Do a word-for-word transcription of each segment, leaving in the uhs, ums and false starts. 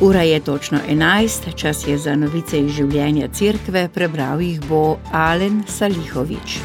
Ura je točno enajst, čas je za novice iz življenja cerkve, prebral jih bo Alen Salihovič.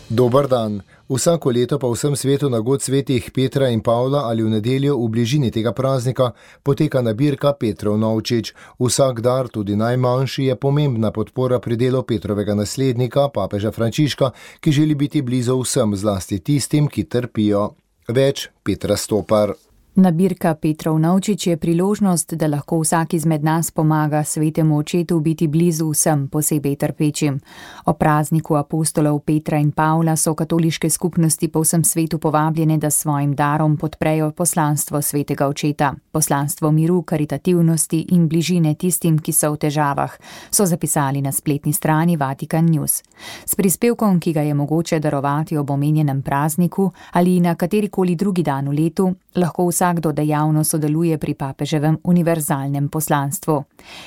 Dober dan. Vsako leto pa v vsem svetu na god svetih Petra in Pavla ali v nedeljo v bližini tega praznika poteka nabirka Petrov novčič. Vsak dar, tudi najmanjši, je pomembna podpora pri delu Petrovega naslednika, papeža Frančiška, ki želi biti blizu vsem, zlasti tistim, ki trpijo. Več Petra Stopar. Nabirka Petrov novčič je priložnost, da lahko vsak izmed nas pomaga svetemu očetu biti blizu vsem, posebej trpečim. O prazniku apostolov Petra in Pavla so katoliške skupnosti po vsem svetu povabljene, da s svojim darom podprejo poslanstvo svetega očeta. Poslanstvo miru, karitativnosti in bližine tistim, ki so v težavah, so zapisali na spletni strani Vatikan News. S prispevkom, ki ga je mogoče darovati ob omenjenem prazniku ali na katerikoli drugi dan v letu, lahko vsakdo dejavno sodeluje pri papeževem univerzalnem poslanstvu.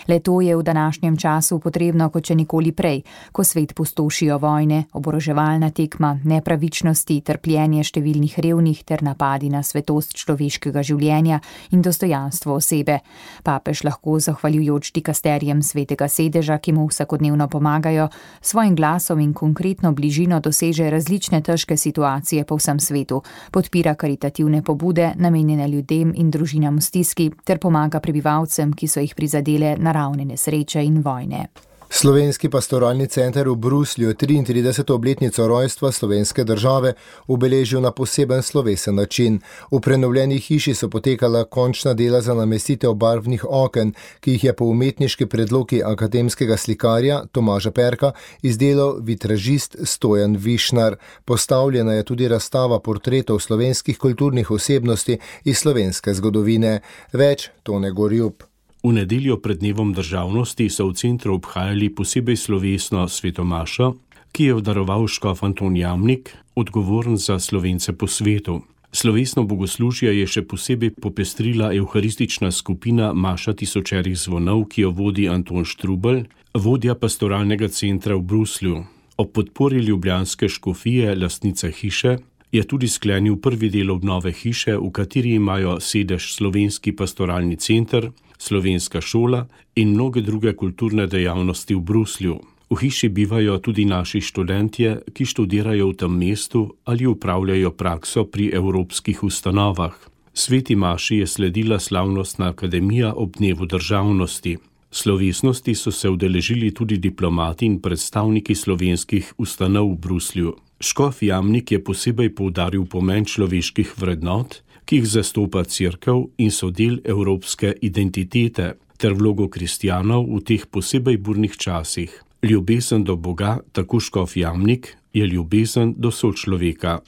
Le to je v današnjem času potrebno kot še nikoli prej, ko svet pustošijo vojne, oboroževalna tekma, nepravičnosti, trpljenje številnih revnih ter napadi na svetost človeškega življenja in dostojanstvo osebe. Papež lahko, zahvaljujoč dikasterijem svetega sedeža, ki mu vsakodnevno pomagajo, svojim glasom in konkretno bližino doseže različne težke situacije po vsem svetu, podpira karitativne pobude, namenjene ljudem in družinam v stiski, ter pomaga prebivalcem, ki so jih prizadele naravne nesreče in vojne. Slovenski pastoralni center v Bruslju triintrideseto obletnico rojstva slovenske države obeležil na poseben slovesen način. V prenovljeni hiši so potekala končna dela za namestitev barvnih oken, ki jih je po umetniški predlogi akademskega slikarja Tomaža Perka izdelal vitražist Stojan Višnar. Postavljena je tudi razstava portretov slovenskih kulturnih osebnosti iz slovenske zgodovine. Več Tone Gorjup. V nedeljo pred dnevom državnosti so v centru obhajali posebej slovesno svetomašo, ki je obdaroval škof Anton Jamnik, odgovoren za Slovence po svetu. Slovesno bogoslužje je še posebej popestrila evharistična skupina Maša tisočerih zvonov, ki jo vodi Anton Štrubelj, vodja pastoralnega centra v Bruslju. Ob podpori ljubljanske škofije, lastnice hiše, je tudi sklenil prvi del obnove hiše, v kateri imajo sedež Slovenski pastoralni center, Slovenska šola in mnoge druge kulturne dejavnosti v Bruslju. V hiši bivajo tudi naši študentje, ki študirajo v tem mestu ali upravljajo prakso pri evropskih ustanovah. Sveti maši je sledila slavnostna akademija ob dnevu državnosti. Slovesnosti so se udeležili tudi diplomati in predstavniki slovenskih ustanov v Bruslju. Škof Jamnik je posebej poudaril pomen človeških vrednot, ki jih zastopa cerkev in so del evropske identitete, ter vlogo kristjanov v teh posebej burnih časih. Ljubezen do Boga, tako škof Jamnik, je ljubezen do sočloveka.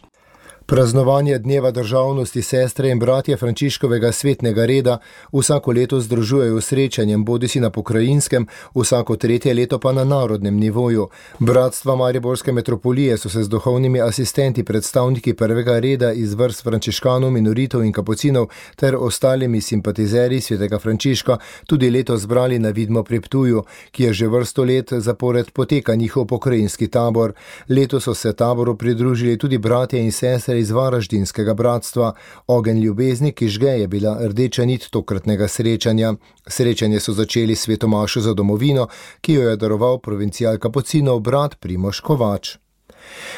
Praznovanje dneva državnosti sestre in bratje Frančiškovega svetnega reda vsako leto združujejo srečanjem bodisi na pokrajinskem, vsako tretje leto pa na narodnem nivoju. Bratstva Mariborske metropolije so se z duhovnimi asistenti, predstavniki prvega reda iz vrst frančiškanov, minoritov in kapucinov ter ostalimi simpatizerji svetega Frančiška tudi leto zbrali na Vidmo pri Ptuju, ki je že vrsto let zapored poteka njihov pokrajinski tabor. Leto so se taboru pridružili tudi bratje in sestre iz Varaždinskega bratstva. Ogenj ljubezni, ki žge, je bila rdeča nit tokratnega srečanja. Srečanje so začeli s svetomašo za domovino, ki jo je daroval provincial kapucinov brat Primož Kovač.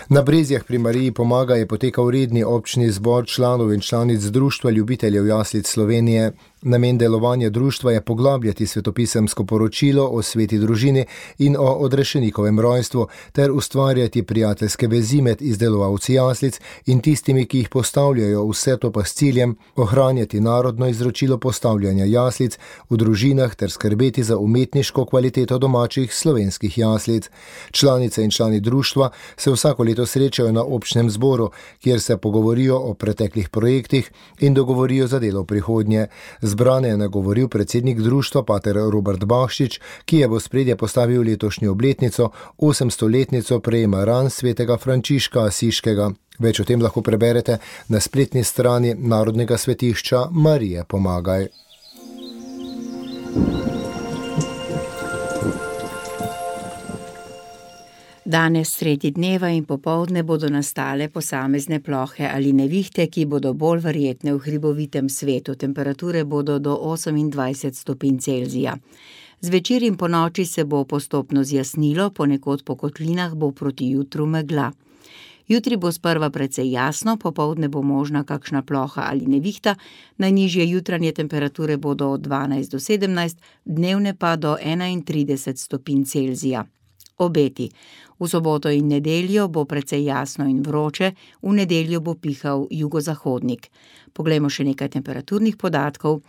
Na Brezjah pri Mariji pomaga je potekal redni občni zbor članov in članic Društva ljubiteljev jaslic Slovenije. Namen delovanja društva je poglabljati svetopisemsko poročilo o sveti družini in o odrešenikovem rojstvu ter ustvarjati prijateljske vezi med izdelovalci jaslic in tistimi, ki jih postavljajo, vse to pa s ciljem ohranjati narodno izročilo postavljanja jaslic v družinah ter skrbeti za umetniško kvaliteto domačih slovenskih jaslic. Članice in člani društva se vsako leto srečajo na občnem zboru, kjer se pogovorijo o preteklih projektih in dogovorijo za delo v prihodnje. Zbrane je nagovoril predsednik društva pater Robert Bahšič, ki je v ospredje postavil letošnjo obletnico, osemstoletnico prejema ran svetega Frančiška Asiškega. Več o tem lahko preberete na spletni strani Narodnega svetišča Marije Pomagaj. Danes sredi dneva in popoldne bodo nastale posamezne plohe ali nevihte, ki bodo bolj verjetne v hribovitem svetu. Temperature bodo do osemindvajset stopinj Celzija. Zvečer in ponoči se bo postopno zjasnilo, ponekod po kotlinah bo proti jutru megla. Jutri bo sprva precej jasno, popoldne bo možna kakšna ploha ali nevihta, najnižje jutranje temperature bodo od dvanajst do sedemnajst, dnevne pa do enaintrideset stopinj Celzija. Obeti. V soboto in nedeljo bo precej jasno in vroče, v nedeljo bo pihal jugozahodnik. Poglejmo še nekaj temperaturnih podatkov.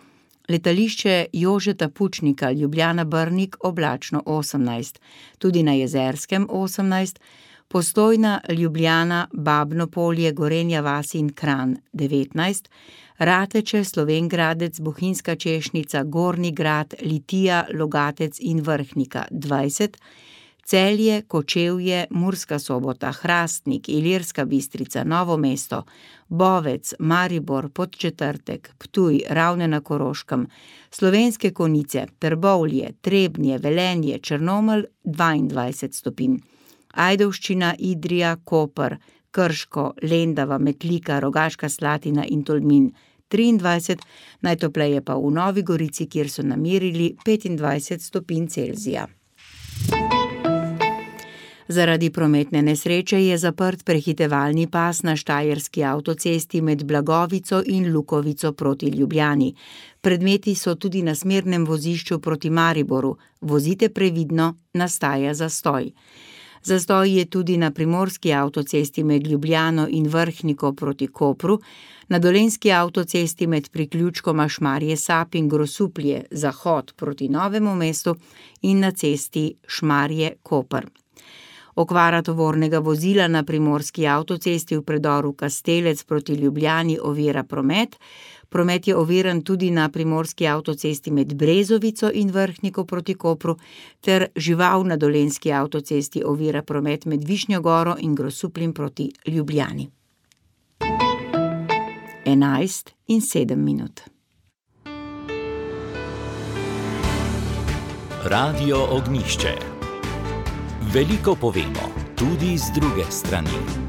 Letališče Jožeta Pučnika Ljubljana-Brnik oblačno osemnajst, tudi na Jezerskem osemnajst, Postojna, Ljubljana, Babno Polje, Gorenja vas in Kranj devetnajst, Rateče, Slovenj Gradec, Bohinjska Češnica, Gornji Grad, Litija, Logatec in Vrhnika dvajset, Celje, Kočevje, Murska Sobota, Hrastnik, Ilirska Bistrica, Novo mesto, Bovec, Maribor, Podčetrtek, Ptuj, Ravne na Koroškem, Slovenske Konjice, Trbovlje, Trebnje, Velenje, Črnomelj dvaindvajset stopinj, Ajdovščina, Idrija, Koper, Krško, Lendava, Metlika, Rogaška Slatina in Tolmin triindvajset, najtopleje pa v Novi Gorici, kjer so namerili petindvajset stopinj Celzija. Zaradi prometne nesreče je zaprt prehitevalni pas na štajerski avtocesti med Blagovico in Lukovico proti Ljubljani. Predmeti so tudi na smernem vozišču proti Mariboru. Vozite previdno, nastaja zastoj. Zastoj je tudi na primorski avtocesti med Ljubljano in Vrhniko proti Kopru, na dolenjski avtocesti med priključkoma Šmarje Sap in Grosuplje, zahod proti Novemu mestu in na cesti Šmarje-Koper. Okvara tovornega vozila na primorski avtocesti v predoru Kastelec proti Ljubljani ovira promet. Promet je oviran tudi na primorski avtocesti med Brezovico in Vrhniko proti Kopru, ter žival na dolenjski avtocesti ovira promet med Višnjo Goro in Grosupljem proti Ljubljani. enajst in sedem minut. Radio Ognjišče. Veliko povemo, tudi z druge strani.